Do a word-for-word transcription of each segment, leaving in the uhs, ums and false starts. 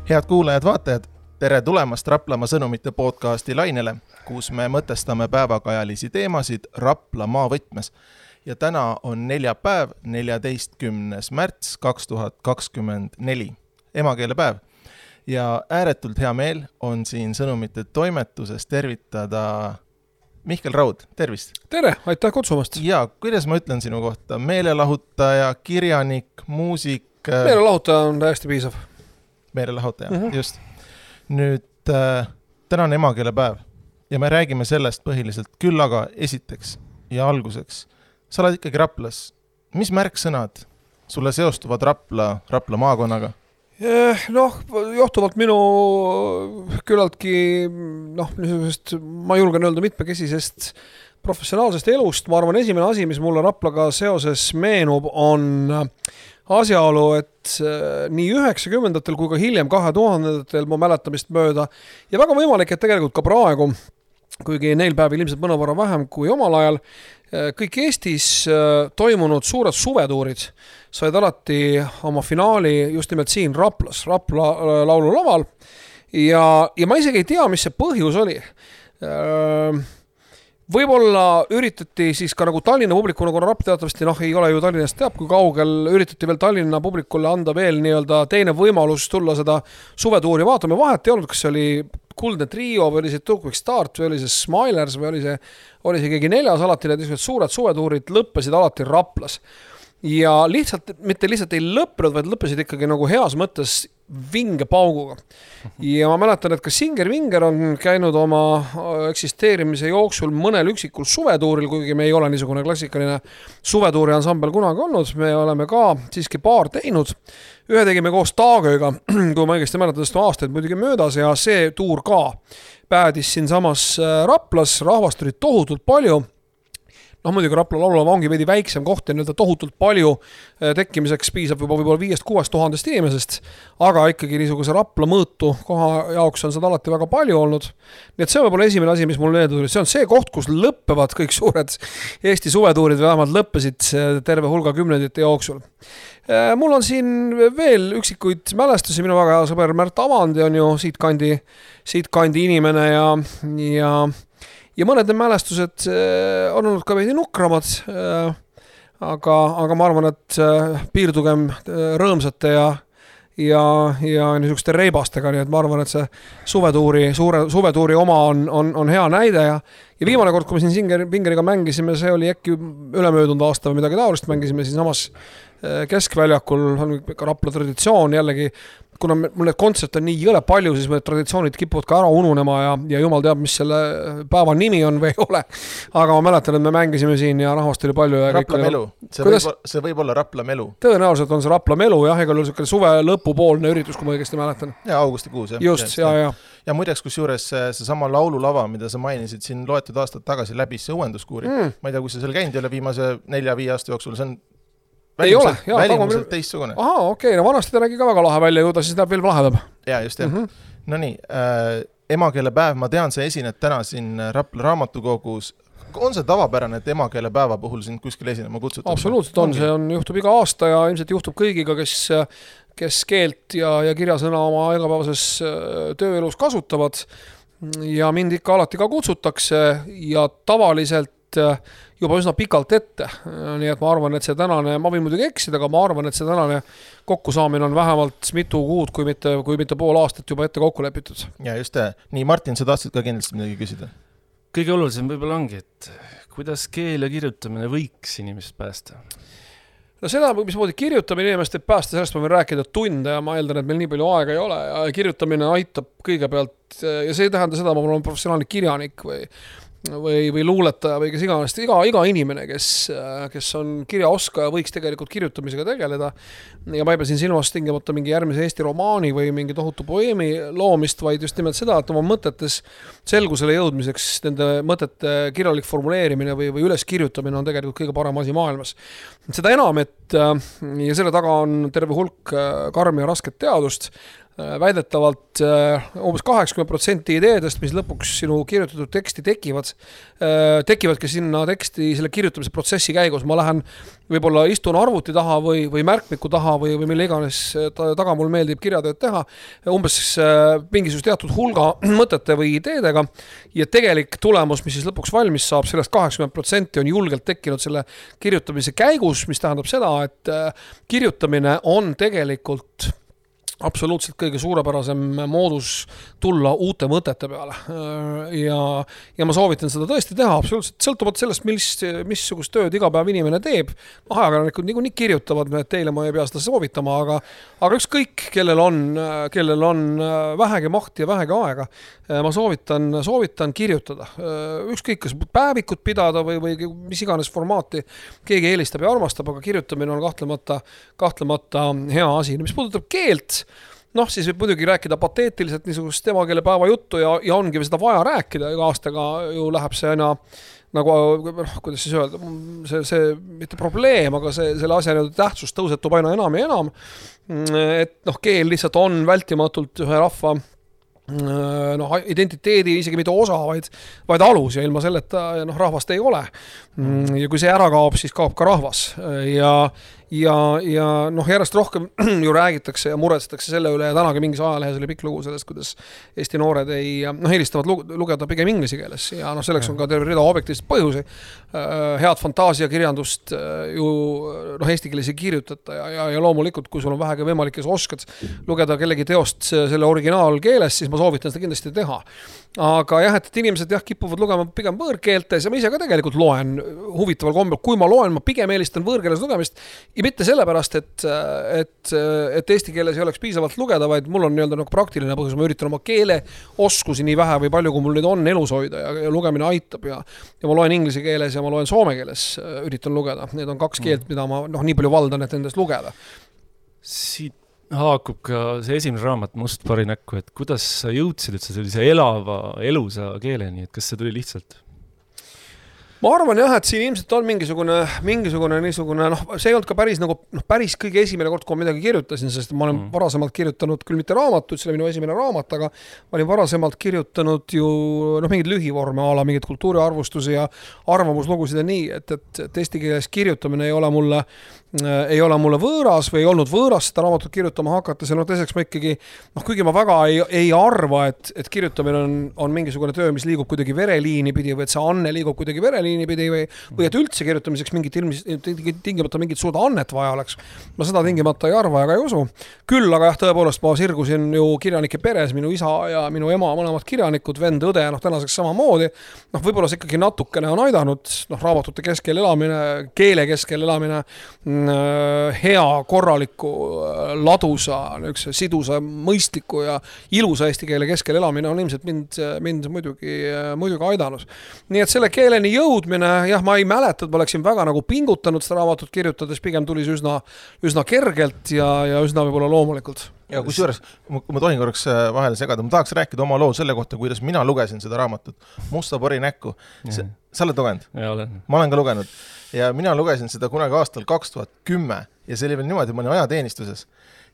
Head kuulajad, vaatajad, tere tulemast Raplamaa sõnumite podcasti lainele, kus me mõtestame päevakajalisi teemasid Rapla maavõtmes. Ja täna on neljapäev, neljateistkümnes märts kaks tuhat kakskümmend neli, emakeelepäev. Ja ääretult hea meel on siin sõnumite toimetuses tervitada Mihkel Raud, tervist! Tere, aitäh kutsumast! Ja kuidas ma ütlen sinu kohta? Meelelahutaja, kirjanik, muusik... Meelelahutaja on täiesti piisav. Meelelahutaja, mm -hmm. just. Nüüd äh, täna on emakeelepäev ja me räägime sellest põhiliselt, küll aga esiteks ja alguseks. Sa oled ikkagi Raplas. Mis märksõnad sulle seostuvad Rapla, Rapla maakonnaga? Noh, johtuvalt minu küllaltki, noh, niisugusest, ma julgen öelda mitmekesisest professionaalsest elust. Ma arvan, esimene asi, mis mulle Raplaga seoses meenub, on asjaolu, et nii üheksakümnendatel kui ka hiljem kahe tuhandendatel ma mäletamist mööda ja väga võimalik, et tegelikult ka praegu, kuigi neil päevil ilmselt mõnevõrra vähem kui omal ajal, kõik Eestis toimunud suured suvetuurid said alati oma finaali just nimelt siin Raplas, Rapla laululaval ja, ja ma isegi ei tea, mis see põhjus oli. Võib-olla üritati siis ka nagu Tallinna publikuna, kuna Rapla teatavasti noh, ei ole ju Tallinnast teab, kui kaugel üritati veel Tallinna publikule anda veel nii-öelda teine võimalus tulla seda suvetuuri vaatama. Vahet ei olnud, kas see oli Kuldne Trio või oli see Tukvik Start või oli see Smilers või oli see, oli see keegi neljas alati, need suured suvetuurid lõppesid alati Raplas. Ja lihtsalt, mitte lihtsalt ei lõppenud, vaid lõppesid ikkagi nagu heas mõttes vinge pauguga. Ja ma mäletan, et ka Singer Vinger on käinud oma eksisteerimise jooksul mõnel üksikul suvetuuril, kuigi me ei ole niisugune klassikaline suvetuuri ansambel kunagi olnud. Me oleme ka siiski paar teinud. Ühe tegime koos Taagööga, kui ma õigesti mäletan, sest aastaid muidugi möödas ja see tuur ka päädis siin samas Raplas. Rahvast oli tohutult palju. Noh, muidugi Rapla laulava ongi veidi väiksem koht ja nii-öelda tohutult palju tekkimiseks piisab juba võib-olla viiest kuuest tuhandest inimesest, aga ikkagi niisuguse Rapla mõõtu koha jaoks on seda alati väga palju olnud. Nii et see on võib-olla esimene asi, mis mul meelde tuli. See on see koht, kus lõppevad kõik suured Eesti suvetuurid või vähemalt lõppesid terve hulga kümnendite jooksul. Mul on siin veel üksikuid mälestusi, minu väga hea sõber Märt Avandi on ju siit kandi, siit kandi inimene ja, ja Ja mõned need mälestused on olnud ka veidi nukramad, aga, aga ma arvan, et piirdugem rõõmsate ja, ja, ja niisuguste reibastega, nii et ma arvan, et see suvetuuri, suure, suvetuuri oma on, on, on hea näide ja, ja viimane kord, kui me siin Singer Vingeriga mängisime, see oli äkki ülemöödunud aasta või midagi taolist, mängisime siin samas Keskväljakul, on ka Rapla traditsioon jällegi, kuna mul need kontserte on nii jõle palju, siis need traditsioonid kipuvad ka ära ununema ja, ja jumal teab, mis selle päeva nimi on või ei ole. Aga ma mäletan, et me mängisime siin ja rahvast oli palju. Ja Rapla melu. See võib, see võib olla Rapla melu. Tõenäoliselt on see Rapla melu, jah, ega oli selline suve lõpupoolne üritus, kui ma õigesti mäletan. Ja augustikuus, jah. Just, ja, ja. Ja muideks, kus juures see sama laululava, mida sa mainisid siin loetud aastad tagasi läbi see uuenduskuuri. Mm. Ma ei tea, kui sa seal käinud ei ole viimase nelja-viie aasta jooksul, see on välimuselt, ei ole, välimuselt teistsugune. Aha, okei, okay, no vanasti ta nägi ka väga lahe välja, ju ta siis näeb veel lahedab. Ja, just jah. Mm -hmm. No nii, äh, emakeelepäev, ma tean, sa esined täna siin Rapla raamatukogus. On see tavapärane, et emakeelepäeva puhul sind kuskil esinema kutsutab? Absoluutselt on, see on, juhtub iga aasta ja ilmselt juhtub kõigiga, kes, kes keelt ja, ja kirjasõna oma igapäevases tööelus kasutavad. Ja mind ikka alati ka kutsutakse ja tavaliselt juba üsna pikalt ette. Nii et ma arvan, et see tänane, ma võin muidugi eksida, aga ma arvan, et see tänane kokkusaamine on vähemalt mitu kuud, kui mitte, kui mitte pool aastat juba ette kokku lepitud. Ja just, nii Martin, sa tahtsid ka kindlasti midagi küsida? Kõige olulisem võib-olla ongi, et kuidas keel ja kirjutamine võiks inimest päästa? No seda, mis moodi kirjutamine inimest teeb päästa, sellest ma võin rääkida tunde ja ma eeldan, et meil nii palju aega ei ole ja kirjutamine aitab kõigepealt ja see ei tähenda seda, ma olen professionaalne kirjanik või või, või luuletaja või kes iganes, iga, iga inimene, kes, kes on kirjaoskaja, võiks tegelikult kirjutamisega tegeleda. Ja ma ei pea siin silmas tingimata mingi järgmise Eesti romaani või mingi tohutu poeemi loomist, vaid just nimelt seda, et oma mõtetes selgusele jõudmiseks nende mõtete kirjalik formuleerimine või, või üles kirjutamine on tegelikult kõige parem asi maailmas. Seda enam, et ja selle taga on terve hulk karmi ja rasket teadust väidetavalt umbes kaheksakümmend protsenti ideedest, mis lõpuks sinu kirjutatud teksti tekivad, tekivadki sinna teksti selle kirjutamise protsessi käigus. Ma lähen võib-olla istun arvuti taha või, või märkmiku taha või, või mille iganes taga mul meeldib kirjatööd teha, umbes mingisugust teatud hulga mõtete või ideedega ja tegelik tulemus, mis siis lõpuks valmis saab, sellest kaheksakümmend protsenti on julgelt tekkinud selle kirjutamise käigus, mis tähendab seda, et kirjutamine on tegelikult absoluutselt kõige suurepärasem moodus tulla uute mõtete peale. Ja, ja ma soovitan seda tõesti teha absoluutselt sõltuvalt sellest, mis, missugust tööd iga päev inimene teeb. Ajakirjanikud nii, nii kirjutavad, et teile ma ei pea seda soovitama, aga, aga ükskõik, kellel on, kellel on vähegi mahti ja vähegi aega, ma soovitan, soovitan kirjutada. Ükskõik, kas päevikut pidada või, või mis iganes formaati keegi eelistab ja armastab, aga kirjutamine on kahtlemata, kahtlemata hea asi. Mis puudutab keelt, noh, siis võib muidugi rääkida pateetiliselt niisugust emakeelepäeva juttu ja, ja ongi seda vaja rääkida, iga aastaga ju läheb see aina nagu, kuidas siis öelda, see, see mitte probleem, aga see, selle asja tähtsus tõusetub aina enam ja enam, et noh, keel lihtsalt on vältimatult ühe rahva noh, identiteedi isegi mitte osa, vaid, vaid alus ja ilma selleta noh, rahvast ei ole. Ja kui see ära kaob, siis kaob ka rahvas ja Ja, ja noh, järjest rohkem ju räägitakse ja muretsetakse selle üle ja tänagi mingis ajalehes oli pikk lugu sellest, kuidas Eesti noored ei, noh, eelistavad lugeda pigem inglise keeles ja noh, selleks on ka terve rida objektiivseid põhjusi. Head fantaasiakirjandust ju noh, eesti keeles ei kirjutata ja, ja, ja loomulikult, kui sul on vähegi võimalik, kes oskad lugeda kellegi teost selle originaalkeeles, siis ma soovitan seda kindlasti teha. Aga jah, et inimesed jah, kipuvad lugema pigem võõrkeeltes ja ma ise ka tegelikult loen huvitaval kombel. Kui ma loen, ma pigem eelistan võõrkeeles lugemist ja mitte sellepärast, et, et, et eesti keeles ei oleks piisavalt lugeda, vaid mul on nii-öelda nagu praktiline põhjus. Ma üritan oma keele oskusi nii vähe või palju, kui mul nüüd on elus hoida ja, ja lugemine aitab ja, ja ma loen inglise keeles ja ma loen soome keeles, üritan lugeda. Need on kaks keelt, mida ma noh, nii palju valdan, et nendest lugeda. Siit haakub ka see esimene raamat Must pari näkku, et kuidas sa jõudsid üldse sellise elava, elusa keeleni, et kas see tuli lihtsalt? Ma arvan jah, et siin ilmselt on mingisugune, mingisugune niisugune, noh, see ei olnud ka päris nagu, noh, päris kõige esimene kord, kui ma midagi kirjutasin, sest ma olen mm. varasemalt kirjutanud küll mitte raamatut, see oli minu esimene raamat, aga ma olin varasemalt kirjutanud ju, noh, mingid lühivorme ala, mingid kultuuriarvustusi ja arvamuslugusid ja nii, et, et, et eesti keeles kirjutamine ei ole mulle ei ole mulle võõras või ei olnud võõras seda raamatut kirjutama hakata, see no teiseks ma ikkagi, noh, kuigi ma väga ei, ei arva, et, et kirjutamine on, on mingisugune töö, mis liigub kuidagi vereliini pidi või et see anne liigub kuidagi vereliini pidi või, või et üldse kirjutamiseks mingit ilmis, tingimata mingit suurt annet vaja oleks. Ma seda tingimata ei arva ega ei usu. Küll, aga jah, tõepoolest ma sirgusin ju kirjanike peres, minu isa ja minu ema mõlemad kirjanikud, vend, õde, noh, tänaseks samamoodi. Noh, võib-olla see ikkagi natukene on aidanud, noh, raamatute keskel elamine, keele keskel elamine, hea, korraliku, ladusa, sidusa, mõistliku ja ilusa eesti keele keskel elamine on ilmselt mind, mind muidugi, muidugi aidanud. Nii et selle keeleni jõudmine, jah, ma ei mäleta, et ma oleksin väga nagu pingutanud seda raamatut kirjutades, pigem tuli see üsna, üsna kergelt ja, ja üsna võib-olla loomulikult. Ja kusjuures, kui ma tohin korraks vahele segada, ma tahaks rääkida oma loo selle kohta, kuidas mina lugesin seda raamatut Musta pari näkku. Sa oled lugenud? Ja, olen. Ma olen ka lugenud. Ja mina lugesin seda kunagi aastal kaks tuhat kümme ja see oli veel niimoodi, ma olin ajateenistuses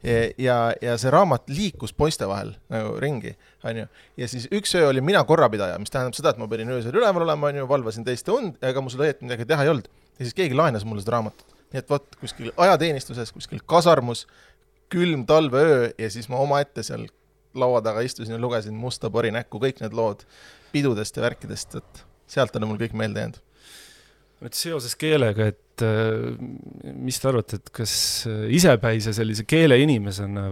ja, ja, ja see raamat liikus poiste vahel nagu ringi. On ju? Ja siis üks öö oli mina korrapidaja, mis tähendab seda, et ma pidin öösel üleval olema, on ju, valvasin teiste und, ega mul seda õieti midagi teha ei olnud. Ja siis keegi laenas mulle seda raamatut. Nii et võt, kuskil ajateenistuses, kuskil kasarmus, külm talveöö ja siis ma oma ette seal laua taga istusin ja lugesin Musta pari näkku, kõik need lood pidudest ja värkidest, et sealt on mul kõik meelde jäänud. Et seoses keelega, et mis te arvate, et kas isepäise sellise keele inimesena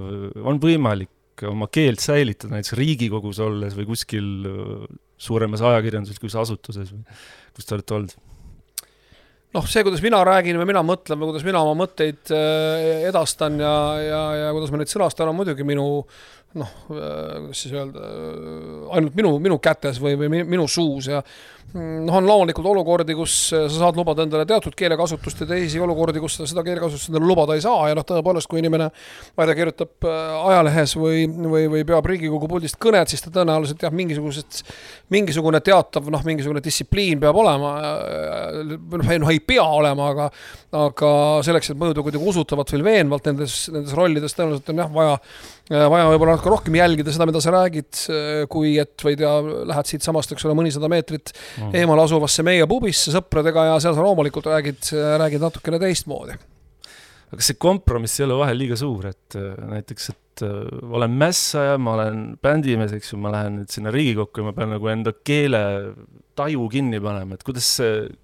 on võimalik oma keelt säilitada näiteks Riigikogus olles või kuskil suuremas ajakirjanduses, kus asutuses või kus te olete olnud? noh, see, kuidas mina räägin või mina mõtlen või kuidas mina oma mõtteid edastan ja, ja, ja kuidas ma neid sõnastan, on muidugi minu, noh, kuidas siis öelda, ainult minu, minu kätes või, või minu suus ja noh, on loomulikult olukordi, kus sa saad lubada endale teatud keelekasutust ja teisi olukordi, kus seda keelekasutust endale lubada ei saa ja noh, tõepoolest, kui inimene vaida kirjutab ajalehes või, või, või peab Riigikogu puldist kõned, siis ta tõenäoliselt jah, mingisugused, mingisugune teatav, noh, mingisugune distsipliin peab olema, noh, ei pea olema, aga, aga selleks, et mõjuda kuidagi usutavalt või veenvalt nendes, nendes rollides tõenäoliselt on jah, vaja, vaja võib-olla natuke rohkem jälgida seda, mida sa räägid, kui et või tea, lähed siit samast, eks ole, mõnisada meetrit mm. eemal asuvasse meie pubisse sõpradega ja seal sa loomulikult räägid, räägid natukene teistmoodi. Aga see kompromiss ei ole vahel liiga suur, et näiteks, et olen mässaja, ma olen bändimees, eks ju, ma lähen nüüd sinna Riigikokku ja ma pean nagu enda keele taju kinni panema, et kuidas,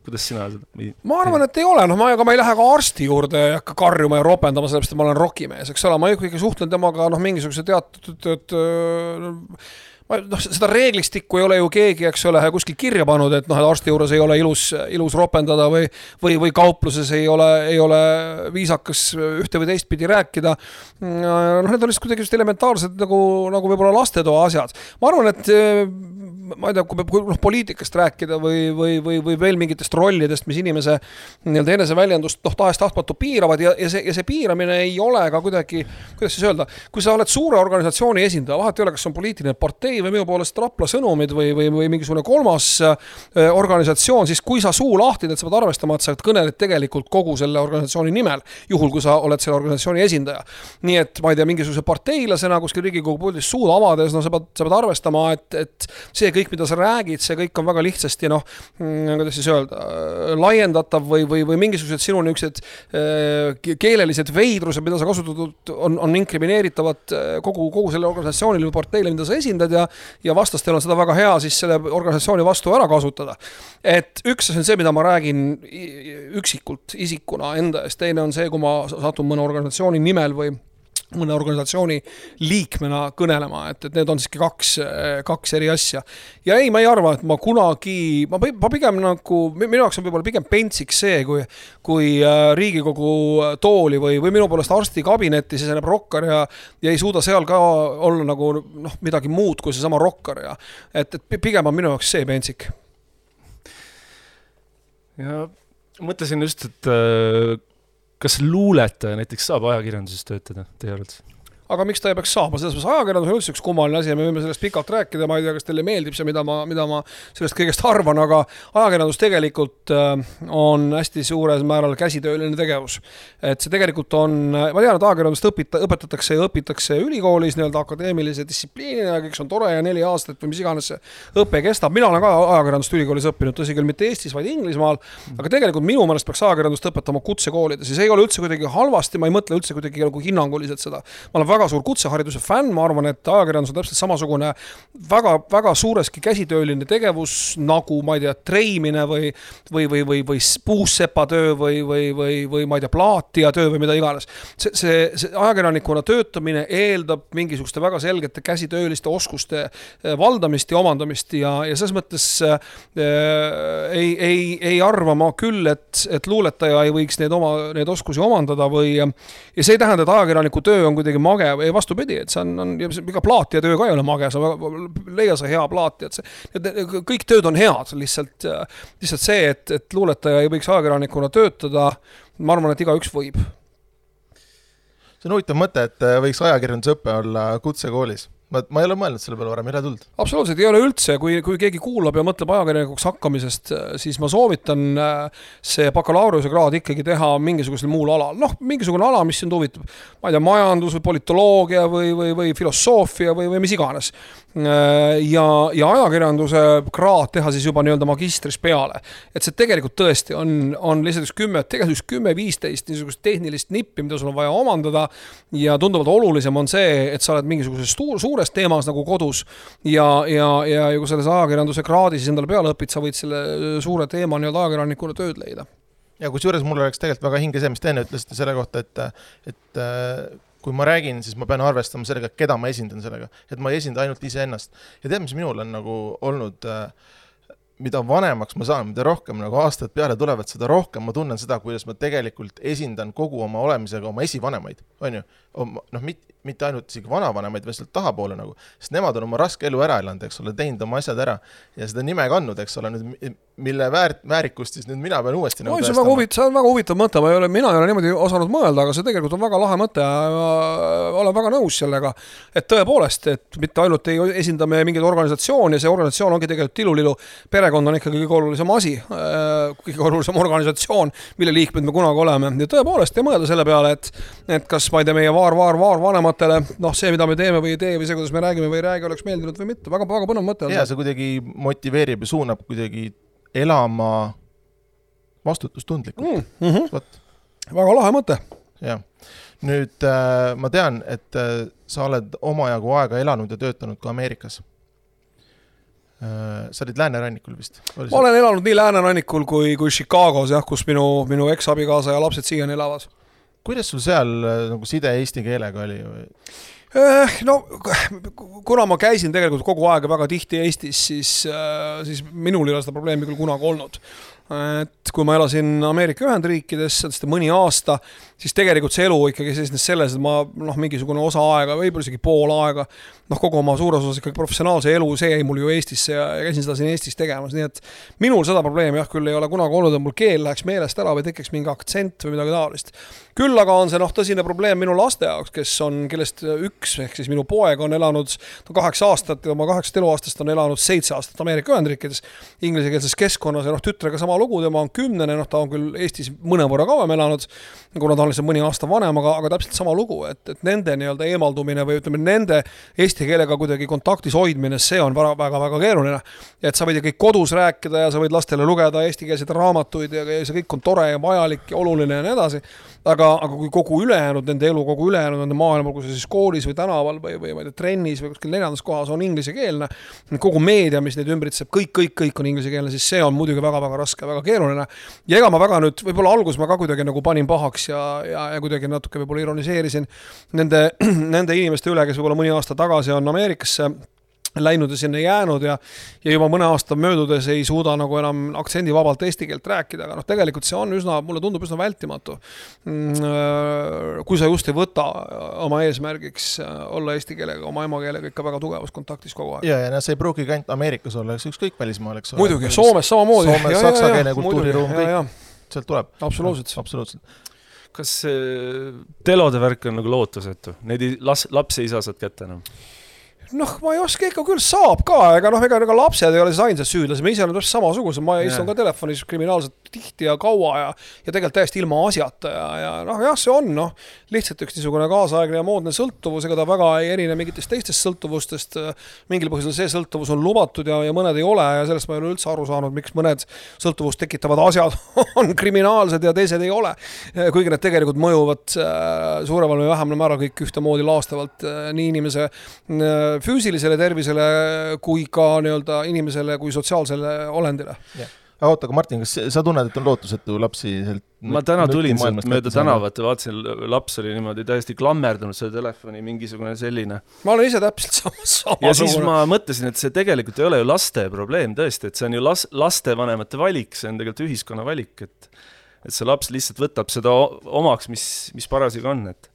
kuidas sina seda? Ma arvan, et ei ole, noh, ma, aga ma ei lähe ka arsti juurde ja hakka karjuma ja ropendama, sellepärast, et ma olen rokimees, eks ole, ma ikkagi suhtlen temaga, noh, mingisuguse teatud, et, noh, seda reeglistikku ei ole ju keegi, eks ole, kuskil kirja pannud, et noh, et arsti juures ei ole ilus, ilus ropendada või, või, või kaupluses ei ole, ei ole viisakas ühte või teist pidi rääkida. Noh, need on lihtsalt kuidagi just elementaarsed nagu, nagu võib-olla lastetoa asjad. Ma arvan, et ma ei tea, kui, kui noh, poliitikast rääkida või, või, või, või veel mingitest rollidest, mis inimese nii-öelda enese väljendust noh, tahest tahtmatu piiravad ja, ja, see, ja see piiramine ei ole ka kuidagi, kuidas siis öelda, kui sa oled suure organisatsiooni esindaja, vahet ei ole, kas on poliitiline partei või minu poolest Rapla Sõnumid või, või, või mingisugune kolmas äh, organisatsioon, siis kui sa suu lahtid, et sa pead arvestama, et sa kõneled tegelikult kogu selle organisatsiooni nimel, juhul kui sa oled selle organisatsiooni esindaja. Nii et ma ei tea, mingisuguse parteilasena kuskil Riigikogu puldis suud avades, no sa pead, sa pead arvestama, et, et see kõik, mida sa räägid, see kõik on väga lihtsasti, noh, kuidas siis öelda, laiendatav või, või, või mingisugused sinu niisugused äh, keelelised veidrused, mida sa kasutatud, on, on inkrimineeritavad kogu, kogu selle organisatsioonile või parteile, mida sa esindad ja, ja vastastel on seda väga hea siis selle organisatsiooni vastu ära kasutada. Et üks on see, mida ma räägin üksikult isikuna enda eest, teine on see, kui ma satun mõne organisatsiooni nimel või mõne organisatsiooni liikmena kõnelema, et, et need on siiski kaks, kaks eri asja. Ja ei, ma ei arva, et ma kunagi, ma, ma pigem nagu, minu jaoks on võib-olla pigem pentsiks see, kui, kui Riigikogu tooli või, või minu poolest arsti kabinetti siseneb rokkar ja, ja ei suuda seal ka olla nagu noh, midagi muud kui see sama rokkar. Ja, et, et pigem on minu jaoks see pentsik. Ja mõtlesin just, et kas luuletaja näiteks saab ajakirjanduses töötada, teie arvates? Aga miks ta ei peaks saama? Selles mõttes ajakirjandus on üldse üks kummaline asi ja me võime sellest pikalt rääkida, ma ei tea, kas teile meeldib see, mida ma, mida ma sellest kõigest arvan, aga ajakirjandus tegelikult on hästi suures määral käsitööline tegevus. Et see tegelikult on, ma tean, et ajakirjandust õpita, õpetatakse ja õpitakse ülikoolis nii-öelda akadeemilise distsipliinina, kõik on tore ja neli aastat või mis iganes see õpe kestab. Mina olen ka ajakirjandust ülikoolis õppinud, tõsi küll mitte Eestis, vaid Inglismaal, aga tegelikult minu meelest peaks ajakirjandust õpetama kutsekoolides ja see ei ole üldse kuidagi halvasti, ma ei mõtle üldse kuidagi nagu hinnanguliselt seda. Ma olen väga suur kutsehariduse fänn, ma arvan, et ajakirjandus on täpselt samasugune väga, väga suureski käsitööline tegevus, nagu ma ei tea, treimine või, või, või, või, või puussepatöö või, või, või, või ma ei tea, plaatia töö või mida iganes. See, see, see ajakirjanikuna töötamine eeldab mingisuguste väga selgete käsitööliste oskuste valdamist ja omandamist ja, ja selles mõttes äh, ei, ei, ei arva ma küll, et, et luuletaja ei võiks neid, oma, neid oskusi omandada või ja see ei tähenda, et ajakirjaniku töö on kuidagi mage ei vastupidi, et see on, on iga plaatija töö ka ei ole mage, sa leia sa hea plaatija, et, see, et kõik tööd on head, lihtsalt, lihtsalt see, et, et luuletaja ei võiks ajakirjanikuna töötada, ma arvan, et iga üks võib. See on huvitav mõte, et võiks ajakirjandusõppe olla kutsekoolis. Ma, ma ei ole mõelnud selle peale varem, ei ole tulnud. Absoluutselt ei ole üldse, kui, kui keegi kuulab ja mõtleb ajakirjanikuks hakkamisest, siis ma soovitan see bakalaureuse kraad ikkagi teha mingisugusel muul alal. Noh, mingisugune ala, mis sind huvitab. Ma ei tea, majandus või politoloogia või, või, või filosoofia või, või mis iganes. Ja, ja ajakirjanduse kraad teha siis juba nii-öelda magistris peale. Et see tegelikult tõesti on, on lihtsalt üks kümme, tegelikult üks kümme viisteist niisugust tehnilist nippi, mida sul on vaja omandada ja tunduvalt olulisem on see, et sa oled mingisuguses suure teemas nagu kodus ja, ja, ja kui selles ajakirjanduse kraadi siis endale peale õpid, sa võid selle suure teema nii-öelda ajakirjanikuna tööd leida. Ja kus juures mul oleks tegelikult väga hinge see, mis teine ütlesite selle kohta, et, et kui ma räägin, siis ma pean arvestama sellega, keda ma esindan sellega, et ma ei esinda ainult ise ennast. Ja tead, mis minul on nagu olnud, mida vanemaks ma saan, mida rohkem nagu aastad peale tulevad, seda rohkem ma tunnen seda, kuidas ma tegelikult esindan kogu oma olemisega oma esivanemaid, on ju? Noh, mit, mitte ainult isegi vanavanemaid, vaid tahapoole nagu, sest nemad on oma raske elu ära elanud, eks ole, teinud oma asjad ära ja seda nime kandnud, eks ole, nüüd, mille väär, väärikust siis nüüd mina pean uuesti nagu no, see, on huvitav, see on väga huvitav mõte, ma ei ole, mina ei ole niimoodi osanud mõelda, aga see tegelikult on väga lahe mõte ja ma olen väga nõus sellega, et tõepoolest, et mitte ainult ei esinda me mingit organisatsiooni ja see organisatsioon ongi tegelikult tilulilu, perekond on ikkagi kõige olulisem asi, kõige olulisem organisatsioon, mille liikmed me kunagi oleme ja tõepoolest ei mõelda selle peale, et, et kas ma ei tea, meie vaar, vaar, vaar vanemad kuulajatematele, noh see, mida me teeme või ei tee või see, kuidas me räägime või ei räägi, oleks meeldinud või mitte. Väga, väga põnev mõte. Ja see kuidagi motiveerib ja suunab kuidagi elama vastutustundlikult. Mm -hmm. Väga lahe mõte. Ja. Nüüd äh, ma tean, et äh, sa oled omajagu aega elanud ja töötanud ka Ameerikas. Sa olid läänerannikul vist? Ma olen elanud nii läänerannikul kui, kui Chicagos, jah, kus minu, minu eks-abikaasa ja lapsed siiani elavad. Kuidas sul seal nagu side eesti keelega oli? No, kuna ma käisin tegelikult kogu aeg väga tihti Eestis, siis, siis minul ei ole seda probleemi küll kunagi olnud. Et kui ma elasin Ameerika Ühendriikides, seda mõni aasta, siis tegelikult see elu ikkagi seisnes selles, et ma noh, mingisugune osa aega, võib-olla isegi pool aega, noh, kogu oma suures osas ikkagi professionaalse elu, see jäi mul ju Eestisse ja käisin seda siin Eestis tegemas, nii et minul seda probleemi jah küll ei ole kunagi olnud, et mul keel läheks meelest ära või tekiks mingi aktsent või midagi taolist. Küll aga on see noh, tõsine probleem minu laste jaoks, kes on, kellest üks, ehk siis minu poeg on elanud kaheksa aastat ja oma kaheksat eluaastast on elanud seitse aastat Ameerika Ühendriikides inglisekeelses keskkonnas ja noh, tütrega sama lugu, tema on kümnene, noh, ta on küll Eestis mõnevõrra kauem elanud, kuna ta on lihtsalt mõni aasta vanem, aga, aga täpselt sama lugu, et, et nende nii-öelda eemaldumine või ütleme, nende eesti keelega kuidagi kontaktis hoidmine, see on väga, väga, väga keeruline. Et sa võid kõik kodus rääkida ja sa võid lastele lugeda eestikeelseid raamatuid ja see kõik on tore ja vajalik ja oluline ja nii edasi. Aga, aga kui kogu ülejäänud, nende elu kogu ülejäänud nende maailma, kui see siis koolis või tänaval või, või, või trennis või kuskil neljandas kohas on inglisekeelne, kogu meedia, mis neid ümbritseb, kõik, kõik, kõik on inglisekeelne, siis see on muidugi väga, väga raske, väga keeruline. Ja ega ma väga nüüd, võib-olla algus ma ka kuidagi nagu panin pahaks ja, ja, ja kuidagi natuke võib-olla ironiseerisin nende, nende inimeste üle, kes võib-olla mõni aasta tagasi on Ameerikasse läinud ja sinna jäänud ja, ja juba mõne aasta möödudes ei suuda nagu enam aktsendivabalt eesti keelt rääkida, aga noh, tegelikult see on üsna, mulle tundub üsna vältimatu. Kui sa just ei võta oma eesmärgiks olla eesti keelega, oma emakeelega ikka väga tugevas kontaktis kogu aeg. Ja, ja see pruugi kant Amerikas olla, eks ükskõik välismaal, eks ole. Muidugi, Soomes samamoodi. Soomes, saksakeelne kultuuriruum, kõik sealt tuleb. Absoluutselt. Absoluutselt. Kas telode värk on nagu lootusetu? Neid las, lapsi ei saa saad kätte enam? Noh, ma ei oska ikka küll saab ka, ega noh, ega, ega lapsed ei ole siis ainsad süüdlased, me ise oleme täpselt samasugused, ma istun ka telefonis kriminaalselt tihti ja kaua ja, ja tegelikult täiesti ilma asjata ja, ja noh, jah, see on noh, lihtsalt üks niisugune kaasaegne ja moodne sõltuvus, ega ta väga ei erine mingitest teistest sõltuvustest, mingil põhjusel see sõltuvus on lubatud ja, ja mõned ei ole ja sellest ma ei ole üldse aru saanud, miks mõned sõltuvust tekitavad asjad on kriminaalsed ja teised ei ole, kuigi need tegelikult mõjuvad suuremal või vähemal määral kõik ühtemoodi laastavalt nii inimese füüsilisele tervisele kui ka nii-öelda inimesele kui sotsiaalsele olendile. Yeah. Aga oota, aga Martin, kas sa tunned, et on lootusetu lapsi? Ma täna tulin sealt mööda tänavat ja vaatasin, laps oli niimoodi täiesti klammerdunud selle telefoni, mingisugune selline. Ma olen ise täpselt sama. sama ja siis ma mõtlesin, et see tegelikult ei ole ju laste probleem tõesti, et see on ju las, laste vanemate valik, see on tegelikult ühiskonna valik, et, et see laps lihtsalt võtab seda omaks, mis, mis parasjagu on, et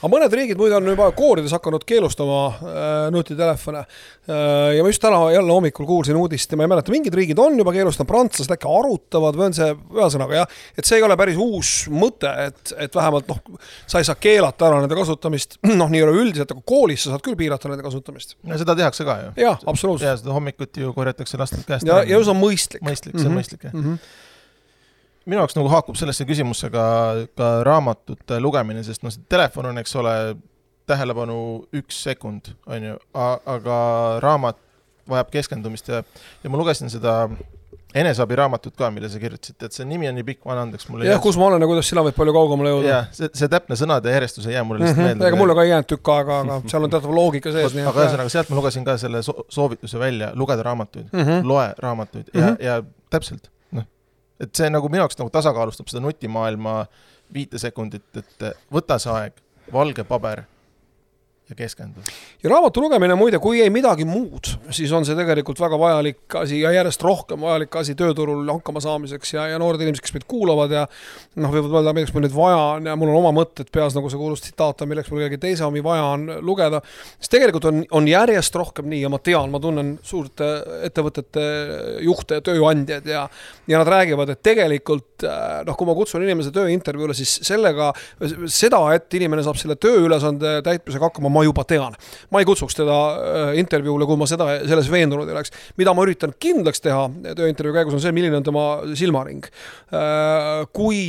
aga mõned riigid muide on juba koorides hakanud keelustama äh, nutitelefone äh, ja ma just täna jälle hommikul kuulsin uudist ja ma ei mäleta, mingid riigid on juba keelustanud, prantslased äkki arutavad või on see ühesõnaga jah, et see ei ole päris uus mõte, et, et vähemalt noh, sa ei saa keelata ära nende kasutamist, noh nii ei ole üldiselt, aga koolis sa saad küll piirata nende kasutamist. Ja seda tehakse ka ju. Jah, absoluutselt. Ja seda hommikut ju korjatakse lastelt käest. Ja, ja see on mõistlik. Mõistlik, see on mm-hmm. mõistlik, jah. Mm-hmm. Minu jaoks nagu haakub sellesse küsimusse ka, ka raamatute lugemine, sest no see telefon on, eks ole, tähelepanu üks sekund, on ju, aga raamat vajab keskendumist ja, ja ma lugesin seda eneseabi raamatut ka, mille sa kirjutasid, et see nimi on nii pikk, ma andeks mulle. Jah, kus ma olen ja kuidas sina võid palju kaugemale jõuda. Jah, see, see täpne sõnade järjestus ei jää mulle lihtsalt mm-hmm. meelde. Ega mulle ka ei jäänud tükk aega, aga seal on teatav loogika sees. Aga ühesõnaga, sealt ma lugesin ka selle soovituse välja, lugeda raamatuid, mm-hmm. loe raamatuid mm-hmm. ja, ja täpselt. Et see nagu minu jaoks nagu tasakaalustab seda nutimaailma viite sekundit, et võta see aeg, valge paber ja keskendu. Ja raamatu lugemine muide, kui ei midagi muud, siis on see tegelikult väga vajalik asi ja järjest rohkem vajalik asi tööturul hakkama saamiseks ja, ja noored inimesed, kes meid kuulavad ja noh, võivad mõelda, milleks mul nüüd vaja on ja mul on oma mõtted peas, nagu see kuulus tsitaat, milleks mul kellegi teise omi vaja on lugeda. Siis tegelikult on, on järjest rohkem nii ja ma tean, ma tunnen suurte ettevõtete juhte ja tööandjad ja, ja nad räägivad, et tegelikult noh, kui ma kutsun inimese tööintervjuule, siis sellega, seda, et inimene saab selle tööülesande täitmisega hakkama, ma ma juba tean. Ma ei kutsuks teda intervjuule, kui ma seda, selles veendunud ei oleks. Mida ma üritan kindlaks teha tööintervjuu käigus on see, milline on tema silmaring. Kui,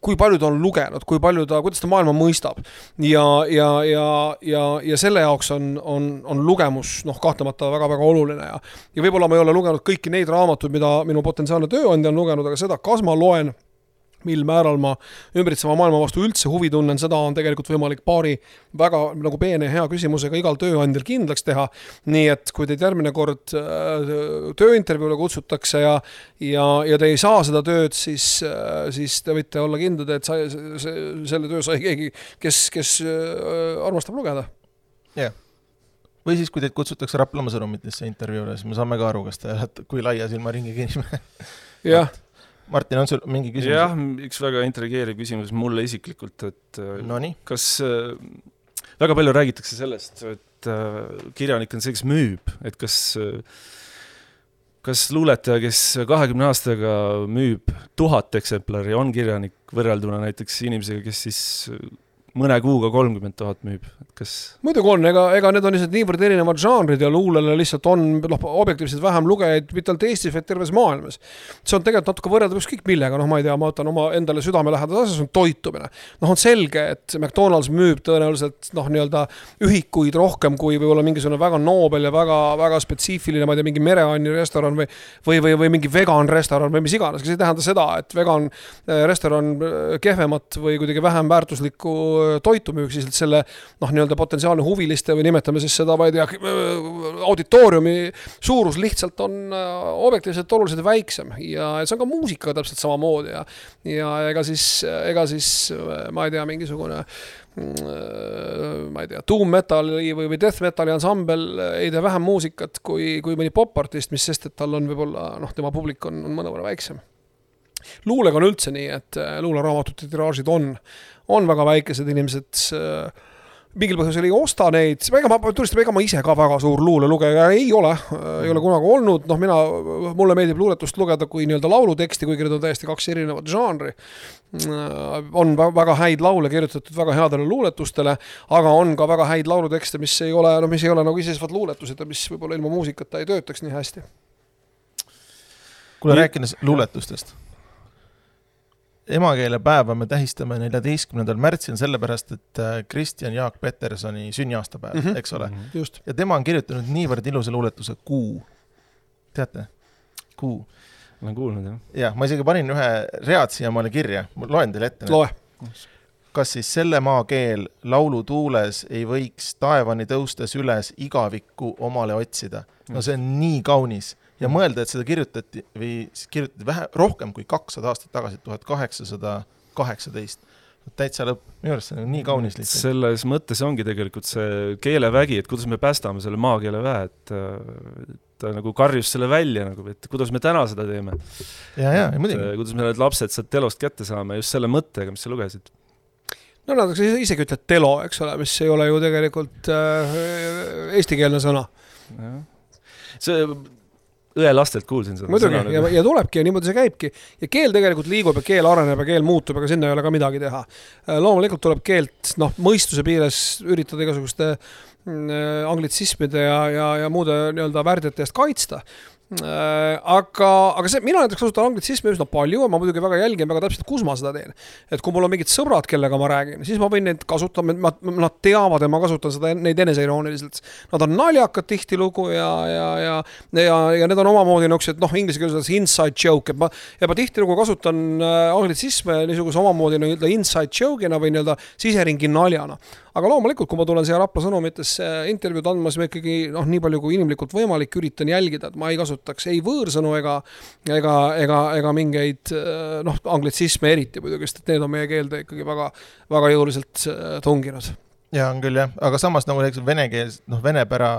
kui palju ta on lugenud, kui palju ta, kuidas ta maailma mõistab. Ja, ja, ja, ja, ja selle jaoks on, on, on lugemus noh, kahtlemata väga-väga oluline. Ja, ja võib-olla ma ei ole lugenud kõiki neid raamatuid, mida minu potentsiaalne tööandja on lugenud, aga seda, kas ma loen mil määral ma ümbritseva maailma vastu üldse huvi tunnen, seda on tegelikult võimalik paari väga nagu peene hea küsimusega igal tööandjal kindlaks teha. Nii et kui teid järgmine kord tööintervjuule kutsutakse ja, ja, ja te ei saa seda tööd, siis, siis te võite olla kindlad, et sa, selle töö sai keegi, kes, kes armastab lugeda. Jah. Yeah. Või siis, kui teid kutsutakse Raplamaa sõnumitesse intervjuule, siis me saame ka aru, kas te olete, kui laia silma ringi inimene. Jah. Martin, on sul mingi küsimus? Jah, üks väga intrigeeriv küsimus mulle isiklikult, et no nii. Kas väga palju räägitakse sellest, et kirjanik on see, kes müüb, et kas, kas luuletaja, kes kahekümne aastaga müüb tuhat eksemplari, on kirjanik võrrelduna näiteks inimesega, kes siis mõne kuuga kolmkümmend tuhat müüb, et kas... Muidugi on, ega, ega need on lihtsalt niivõrd erinevad žanrid ja luulele lihtsalt on noh, objektiivselt vähem lugejaid, mitte ainult Eestis, vaid terves maailmas. See on tegelikult natuke võrreldav ükskõik millega, noh ma ei tea, ma võtan oma endale südamelähedase asja, see on toitumine. Noh on selge, et McDonald's müüb tõenäoliselt noh nii-öelda ühikuid rohkem kui võib-olla mingisugune väga noobel ja väga, väga spetsiifiline, ma ei tea, mingi mereanni restoran või, või, või, või mingi vegan restoran või mis iganes. See ei tähenda seda, et vegan restoran kehvemat või kuidagi vähem väärtuslikku toitu müüks, siis selle noh, nii-öelda potentsiaalne huviliste või nimetame siis seda, ma ei tea, auditooriumi suurus lihtsalt on objektiivselt oluliselt väiksem ja see on ka muusika täpselt samamoodi ja, ja ega siis, ega siis ma ei tea, mingisugune ma ei tea, doom metali või, või death metali ansambel ei tee vähem muusikat kui, kui mõni popartist, mis sest, et tal on võib-olla, noh, tema publik on, on mõnevõrra väiksem. Luulega on üldse nii, et luuleraamatute tiraažid on, on väga väikesed inimesed, mingil põhjusel ei osta neid, ega ma tulistan, ega ma ise ka väga suur luulelugeja ei ole, ei ole kunagi olnud, noh mina, mulle meeldib luuletust lugeda kui nii-öelda lauluteksti, kuigi need on täiesti kaks erinevat žanri. On väga häid laule kirjutatud väga headele luuletustele, aga on ka väga häid laulutekste, mis ei ole, no mis ei ole nagu iseseisvad luuletused ja mis võib-olla ilma muusikata ei töötaks nii hästi. Kuule, rääkides luuletustest. Emakeelepäeva me tähistame neljateistkümnendal märtsil sellepärast, et Kristjan Jaak Petersoni sünniaastapäev, mm -hmm. eks ole. Just. Ja tema on kirjutanud niivõrd ilusa luuletuse Kuu. Teate? Kuu. Olen kuulnud, jah. Ja, ma isegi panin ühe read siia maale kirja. Ma loen teile ette. Loe. Kas siis selle maa keel laulu tuules ei võiks taevani tõustes üles igavikku omale otsida? No see on nii kaunis. Ja mõelda, et seda kirjutati, või kirjutati vähe, rohkem kui kakssada aastat tagasi, tuhat kaheksasada kaheksateist. Täitsa lõpp. Minu arust see on nii kaunis lihtsalt. Selles mõttes ongi tegelikult see keelevägi, et kuidas me päästame selle maakeele väe, et ta nagu karjus selle välja, nagu, et kuidas me täna seda teeme. Ja, ja, ja muidugi. Kuidas me need lapsed sealt telost kätte saame just selle mõttega, mis sa lugesid. No nad isegi ütled telo, eks ole, mis ei ole ju tegelikult äh, eestikeelne sõna. Ja. See õe lastelt kuulsin seda. Muidugi, ja, ja tulebki ja niimoodi see käibki. Ja keel tegelikult liigub ja keel areneb ja keel muutub, aga sinna ei ole ka midagi teha. Loomulikult tuleb keelt noh, mõistuse piires üritada igasuguste anglitsismide ja, ja, ja muude nii-öelda värdjate eest kaitsta. Aga, aga see, mina näiteks kasutan anglitsismi üsna palju, ma muidugi väga jälgin väga täpselt, kus ma seda teen. Et kui mul on mingid sõbrad, kellega ma räägin, siis ma võin neid kasutada, nad teavad ja ma kasutan seda, neid eneseirooniliselt. Nad on naljakad tihti lugu ja, ja, ja, ja, ja need on omamoodi nõuks, et noh, inglise keeles inside joke, et ma, ja ma tihti lugu kasutan anglitsisme niisuguse omamoodi nii-öelda inside joke'ina või nii-öelda siseringi naljana. Aga loomulikult, kui ma tulen siia Rapla sõnumitesse intervjuud andma, siis ma ikkagi noh, nii palju kui inimlikult võimalik üritan jälgida, et ma ei kasutaks ei võõrsõnu ega, ega, ega, ega mingeid noh, anglitsisme eriti muidugi, sest need on meie keelde ikkagi väga, väga jõuliselt tunginud. Ja on küll jah, aga samas nagu vene keels, noh vene pära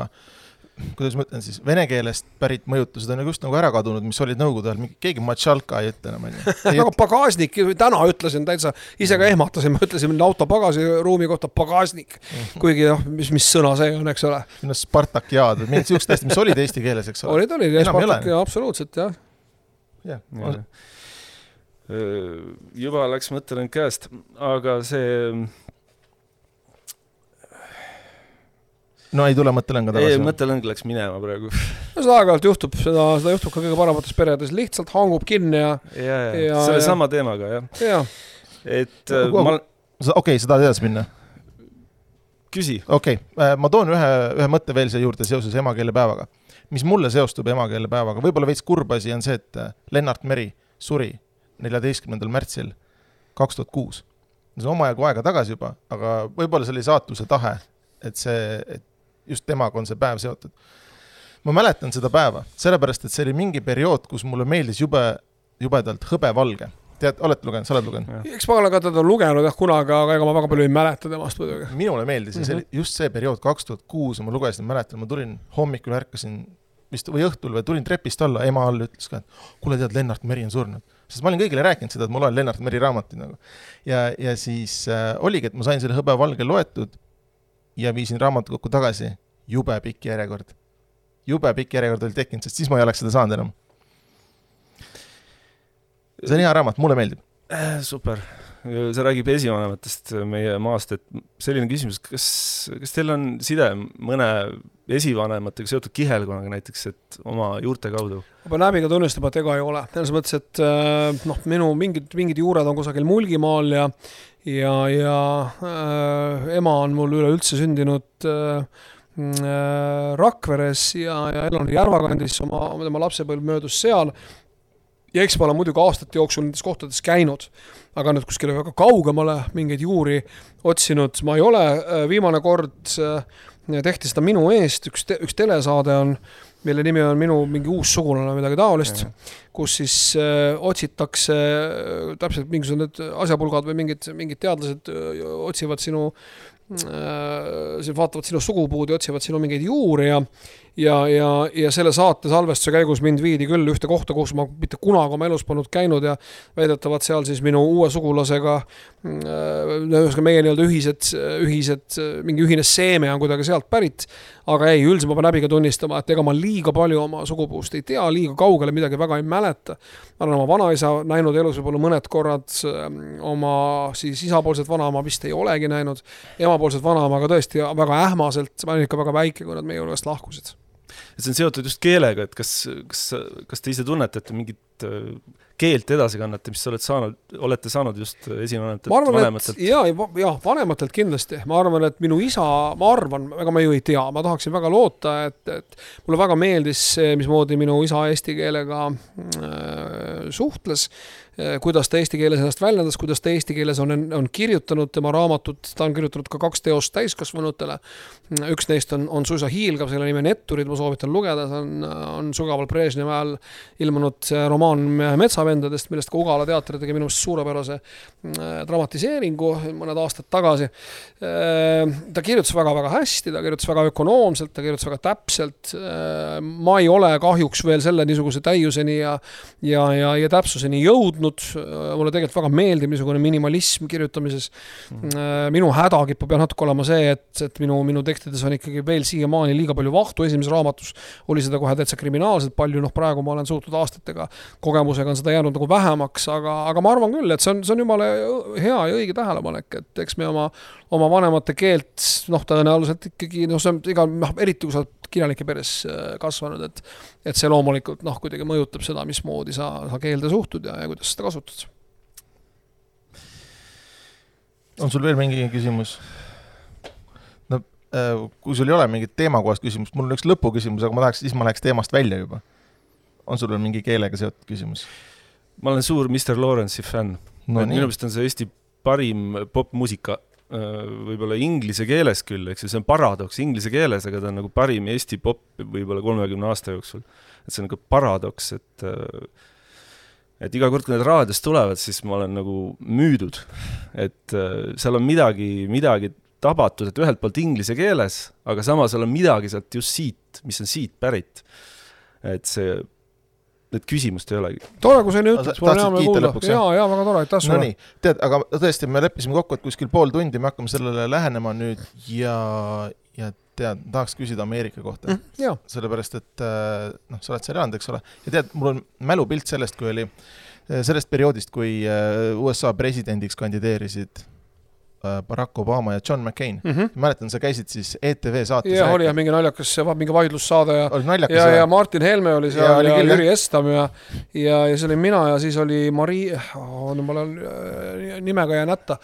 kuidas ma ütlen siis, vene keelest pärit mõjutused on just nagu ära kadunud, mis olid nõukogude ajal, keegi matšalka ei ütle enam. Aga pagasnik, täna ütlesin täitsa, ise ka ehmatasin, ma ütlesin auto pagasi ruumi kohta pagasnik, kuigi noh, mis, mis sõna see on, eks ole. Minu Spartakiaad, mingid siuksed hästi, mis olid eesti keeles, eks ole. Olid, olid, ja Spartak, ja absoluutselt, jah. jah. Ja. Juba läks mõttelen käest, aga see no ei tule mõttelõnga tagasi. ei, mõttelõng läks minema praegu. No seda aeg-ajalt juhtub, seda, seda juhtub ka kõige paremates peredes, lihtsalt hangub kinni ja... ja, ja, ja selle ja, sama teemaga, jah. Ja. Et no, ma... Okei, okay, seda edasi minna. Küsi. Okei, okay. ma toon ühe, ühe mõtte veel siia juurde seoses emakeelepäevaga. Mis mulle seostub emakeelepäevaga, võib-olla veits kurb asi on see, et Lennart Meri suri neljateistkümnendal märtsil kaks tuhat kuus. See on omajagu aega tagasi juba, aga võib-olla see oli saatuse tahe, et see, et just temaga on see päev seotud. Ma mäletan seda päeva, sellepärast, et see oli mingi periood, kus mulle meeldis jube, jubedalt hõbevalge. Tead, oled lugenud, sa oled lugenud? Eks ma olen ka teda lugenud jah kunagi, aga ega ma väga palju ei mäleta temast muidugi. Minule meeldis mm -hmm. see, just see periood kaks tuhat kuus, ma lugesin, mäletan, ma tulin hommikul, ärkasin vist, või õhtul või tulin trepist alla, ema all ütles ka, et kuule tead, Lennart Meri on surnud. Sest ma olin kõigile rääkinud seda, et ma loen Lennart Meri raamati nagu. Ja, ja siis äh, oligi, et ma sain selle hõbevalge loetud ja viisin raamatukokku tagasi, jube pikk järjekord. Jube pikk järjekord oli tekkinud, sest siis ma ei oleks seda saanud enam. See on hea raamat, mulle meeldib. Super. See räägib esivanematest meie maast, et selline küsimus, kas, kas teil on side mõne esivanematega seotud kihelkonaga näiteks, et oma juurte kaudu? Ma pean läbiga tunnistab, et ega ei ole. Selles mõttes, et noh, minu mingid, mingid juured on kusagil Mulgimaal ja, ja, ja äh, ema on mul üleüldse sündinud äh, Rakveres ja, ja elanud Järvakandis, oma, oma lapsepõlv möödus seal. Ja eks ma olen muidugi aastate jooksul nendes kohtades käinud, aga nüüd kuskile väga kaugemale mingeid juuri otsinud. Ma ei ole, viimane kord tehti seda minu eest, üks, te, üks telesaade on, mille nimi on minu mingi uus sugulane midagi taolist, kus siis äh, otsitakse äh, täpselt mingisugused asjapulgad või mingid, mingid teadlased äh, otsivad sinu äh, vaatavad sinu sugupuud ja otsivad sinu mingeid juuri ja Ja, ja, ja selle saate salvestuse käigus mind viidi küll ühte kohta, kus ma mitte kunagi oma elus polnud käinud ja väidetavad seal siis minu uue sugulasega äh, meie nii-öelda ühised, ühised, mingi ühine seeme on kuidagi sealt pärit, aga ei, üldiselt ma pean läbi ka tunnistama, et ega ma liiga palju oma sugupuust ei tea, liiga kaugele midagi väga ei mäleta. Ma olen oma vanaisa näinud elus võib-olla mõned korrad, oma siis isapoolset vanaema vist ei olegi näinud, emapoolset vanaema, aga tõesti väga ähmaselt, ma olen ikka väga väike, kui nad meie juurest lahkusid. Et see on seotud just keelega, et kas, kas, kas te ise tunnete, et mingit keelt edasi kannate, mis olete saanud, olete saanud just esivanematelt, ma arvan, vanematelt? Et, jaa, jah, vanematelt kindlasti. Ma arvan, et minu isa, ma arvan, ega ma ju ei tea, ma tahaksin väga loota, et, et mulle väga meeldis see, mismoodi minu isa eesti keelega äh, suhtles, kuidas ta eesti keeles ennast väljendas, kuidas ta eesti keeles on, on kirjutanud tema raamatut, ta on kirjutanud ka kaks teost täiskasvanutele. Üks neist on, on suisa hiilgav, selle nimi on Etturid, ma soovitan lugeda, see on, on Sugaval Brežnevi ajal ilmunud romaan Metsavendadest, millest ka Ugala teater tegi minu suurepärase dramatiseeringu mõned aastad tagasi. Ta kirjutas väga-väga hästi, ta kirjutas väga ökonoomselt, ta kirjutas väga täpselt. Ma ei ole kahjuks veel selle niisuguse täiuseni ja, ja, ja, ja täpsuseni jõudnud. Mulle tegelikult väga meeldib niisugune minimalism kirjutamises. Minu häda kipub jah natuke olema see, et, et minu, minu tekstides on ikkagi veel siiamaani liiga palju vahtu. Esimeses raamatus oli seda kohe täitsa kriminaalselt palju, noh praegu ma olen suutnud aastatega kogemusega on seda jäänud nagu vähemaks, aga, aga ma arvan küll, et see on, see on jumala hea ja õige tähelepanek, et eks me oma, oma vanemate keelt, noh tõenäoliselt ikkagi, noh see on iga, eriti kui sa oled kirjanike peres kasvanud, et, et see loomulikult noh, kuidagi mõjutab seda, mismoodi sa, sa keelde suhtud ja, ja kuidas seda kasutad. On sul veel mingi küsimus? No, kui sul ei ole mingit teemakohast küsimust, mul on üks lõpu küsimus, aga ma tahaks, siis ma läheks teemast välja juba. On sul veel mingi keelega seotud küsimus? Ma olen suur mister Lawrence'i fänn. No, minu meelest on see Eesti parim popmuusika, võib-olla inglise keeles küll, eks see on paradoks inglise keeles, aga ta on nagu parim Eesti pop võib-olla kolmekümne aasta jooksul. Et see on nagu paradoks, et, et iga kord, kui need raadios tulevad, siis ma olen nagu müüdud. Et seal on midagi, midagi tabatud, et ühelt poolt inglise keeles, aga samas on midagi sealt just siit, mis on siit pärit. Et see need küsimust ei olegi. Tore, kui sa nii ütled, mul on hea me kuulda. Jaa, jaa, väga tore, aitäh sulle. No nii, tead, aga tõesti, me leppisime kokku, et kuskil pool tundi me hakkame sellele lähenema nüüd ja, ja tead, tahaks küsida Ameerika kohta. Mm, sellepärast, et noh, sa oled seal elanud, eks ole. Ja tead, mul on mälupilt sellest, kui oli sellest perioodist, kui U S A presidendiks kandideerisid Barack Obama ja John McCain mm. -hmm. mäletan, sa käisid siis E T V saates. Ja oli jah, mingi naljakas, mingi vaidlussaade ja, naljakas, ja, ja Martin Helme oli seal ja, oli ja küll, Jüri Estam ja, ja, ja see oli mina ja siis oli Marii, oh, no mul on nimega jään ätta,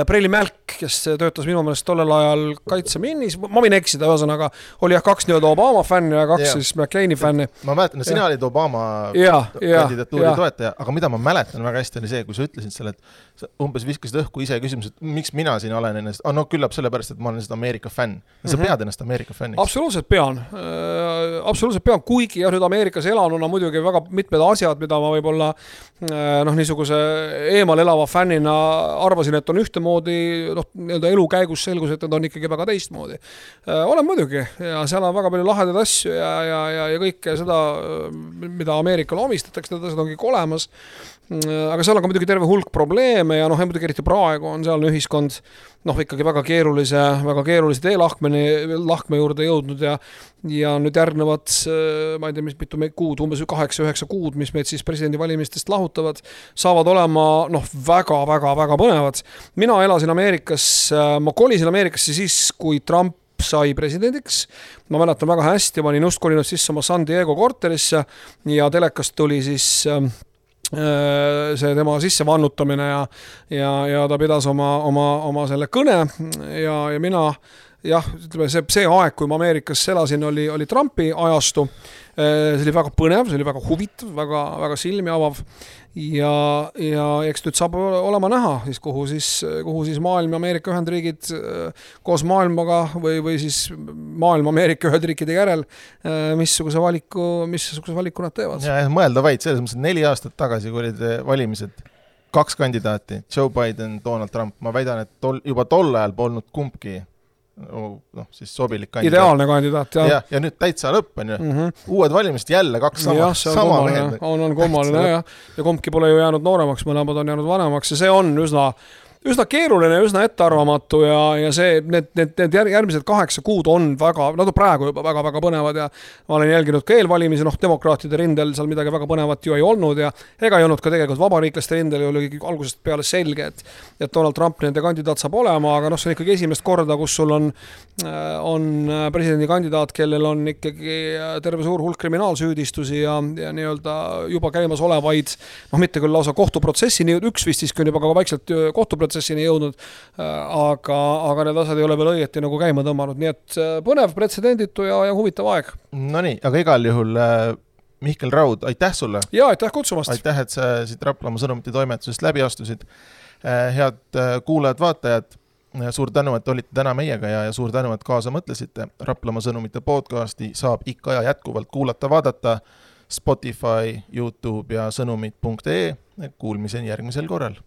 Preili Mälk, kes töötas minu meelest tollel ajal kaitseminnis, ma võin eksida, ühesõnaga oli jah kaks nii-öelda Obama fänni ja kaks ja. siis McCaini fänni. Ma mäletan, et sina ja. olid Obama ja, kandidatuuri ja. toetaja, aga mida ma mäletan väga hästi oli see, kui sa ütlesid selle, et umbes viskasid õhku ise küsimus, et miks mina siin olen ennast, ah, no küllap sellepärast, et ma olen seda Ameerika fänn. Sa pead ennast Ameerika fänniks? Absoluutselt pean. Äh, absoluutselt pean, kuigi jah, nüüd Ameerikas elanuna muidugi väga mitmed asjad, mida ma võib-olla äh, noh, niisuguse eemal elava fännina arvasin, et on ühtemoodi, noh, nii-öelda elu käigus selgus, et need on ikkagi väga teistmoodi. Äh, olen muidugi ja seal on väga palju lahedaid asju ja, ja, ja, ja kõike seda, mida Ameerikale omistatakse, need asjad ongi olemas. Aga seal on ka muidugi terve hulk probleeme ja noh, muidugi eriti praegu on sealne ühiskond noh, ikkagi väga keerulise, väga keerulise teelahkmeni, lahkme juurde jõudnud ja, ja nüüd järgnevad, ma ei tea, mis mitu kuud, umbes kaheksa üheksa kuud, mis meid siis presidendivalimistest lahutavad, saavad olema noh, väga, väga, väga põnevad. Mina elasin Ameerikas, ma kolisin Ameerikasse siis, kui Trump sai presidendiks. Ma mäletan väga hästi, ma olin just kolinud sisse oma San Diego korterisse ja telekast tuli siis see tema sisse vannutamine ja, ja, ja ta pidas oma, oma, oma selle kõne ja, ja mina jah, ütleme, see, see aeg, kui ma Ameerikas elasin, oli, oli Trumpi ajastu. See oli väga põnev, see oli väga huvitav, väga, väga silmi avav ja, ja eks nüüd saab olema näha, siis kuhu siis, kuhu siis maailm ja Ameerika Ühendriigid koos maailmaga või, või siis maailm Ameerika Ühendriikide järel, missuguse valiku, missuguse valiku nad teevad. Ja mõelda vaid, selles mõttes, et neli aastat tagasi, kui olid valimised, kaks kandidaati, Joe Biden, Donald Trump, ma väidan, et tol, juba tol ajal polnud kumbki noh, siis sobilik kandidaat. Ideaalne kandidaat, jah. Ja, ja nüüd täitsa lõpp on ju. Mm -hmm. Uued valimist jälle kaks sama, ja, sama mehed. On, on kummaline, jah. Ja kumbki pole ju jäänud nooremaks, mõlemad on jäänud vanemaks ja see on üsna üsna keeruline, üsna ettearvamatu ja, ja see, need, need, need järgmised kaheksa kuud on väga, nad on praegu juba väga, väga põnevad ja ma olen jälginud ka eelvalimisi, noh, demokraatide rindel seal midagi väga põnevat ju ei olnud ja ega ei olnud ka tegelikult vabariiklaste rindel ja oli algusest peale selge, et, et Donald Trump nende kandidaat saab olema, aga noh, see on ikkagi esimest korda, kus sul on, on presidendi kandidaat, kellel on ikkagi terve suur hulk kriminaalsüüdistusi ja, ja nii-öelda juba käimas olevaid, noh, mitte küll lausa kohtuprotsessini, üks vist siiski on juba ka vaikselt kohtuprotsessini jõudnud, aga, aga need asjad ei ole veel õieti nagu käima tõmmanud, nii et põnev, pretsedenditu ja, ja huvitav aeg. No nii, aga igal juhul Mihkel Raud, aitäh sulle! Ja, aitäh kutsumast! Aitäh, et sa siit Raplamaa sõnumite toimetusest läbi astusid. Head kuulajad, vaatajad, suur tänu, et olite täna meiega ja, ja suur tänu, et kaasa mõtlesite. Raplamaa sõnumite podcasti saab ikka ja jätkuvalt kuulata, vaadata Spotify, YouTube ja sõnumid punkt ee. Kuulmiseni järgmisel korral.